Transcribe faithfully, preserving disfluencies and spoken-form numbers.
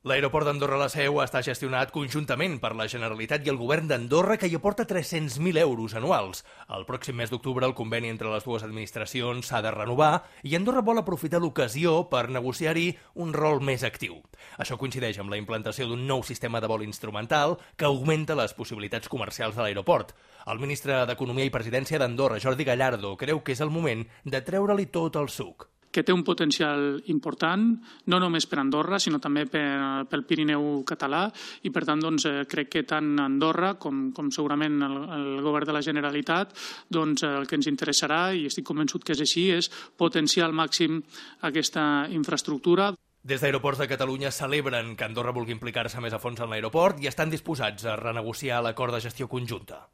L'aeroport d'Andorra la Seu està gestionat conjuntament per la Generalitat i el govern d'Andorra, que hi aporta tres-cents mil euros anuals. El pròxim mes d'octubre el conveni entre les dues administracions s'ha de renovar i Andorra vol aprofitar l'ocasió per negociar-hi un rol més actiu. Això coincideix amb la implantació d'un nou sistema de vol instrumental que augmenta les possibilitats comercials de l'aeroport. El ministre d'Economia i Presidència d'Andorra, Jordi Gallardo, creu que és el moment de treure-li tot el suc. Que té un potencial important, no només per Andorra, sinó també per, pel Pirineu català, i per tant doncs, crec que tant Andorra com, com segurament el, el govern de la Generalitat, doncs, el que ens interessarà, i estic convençut que és així, és potenciar al màxim aquesta infraestructura. Des d'Aeroports de Catalunya celebren que Andorra vulgui implicar-se més a fons en l'aeroport i estan disposats a renegociar l'acord de gestió conjunta.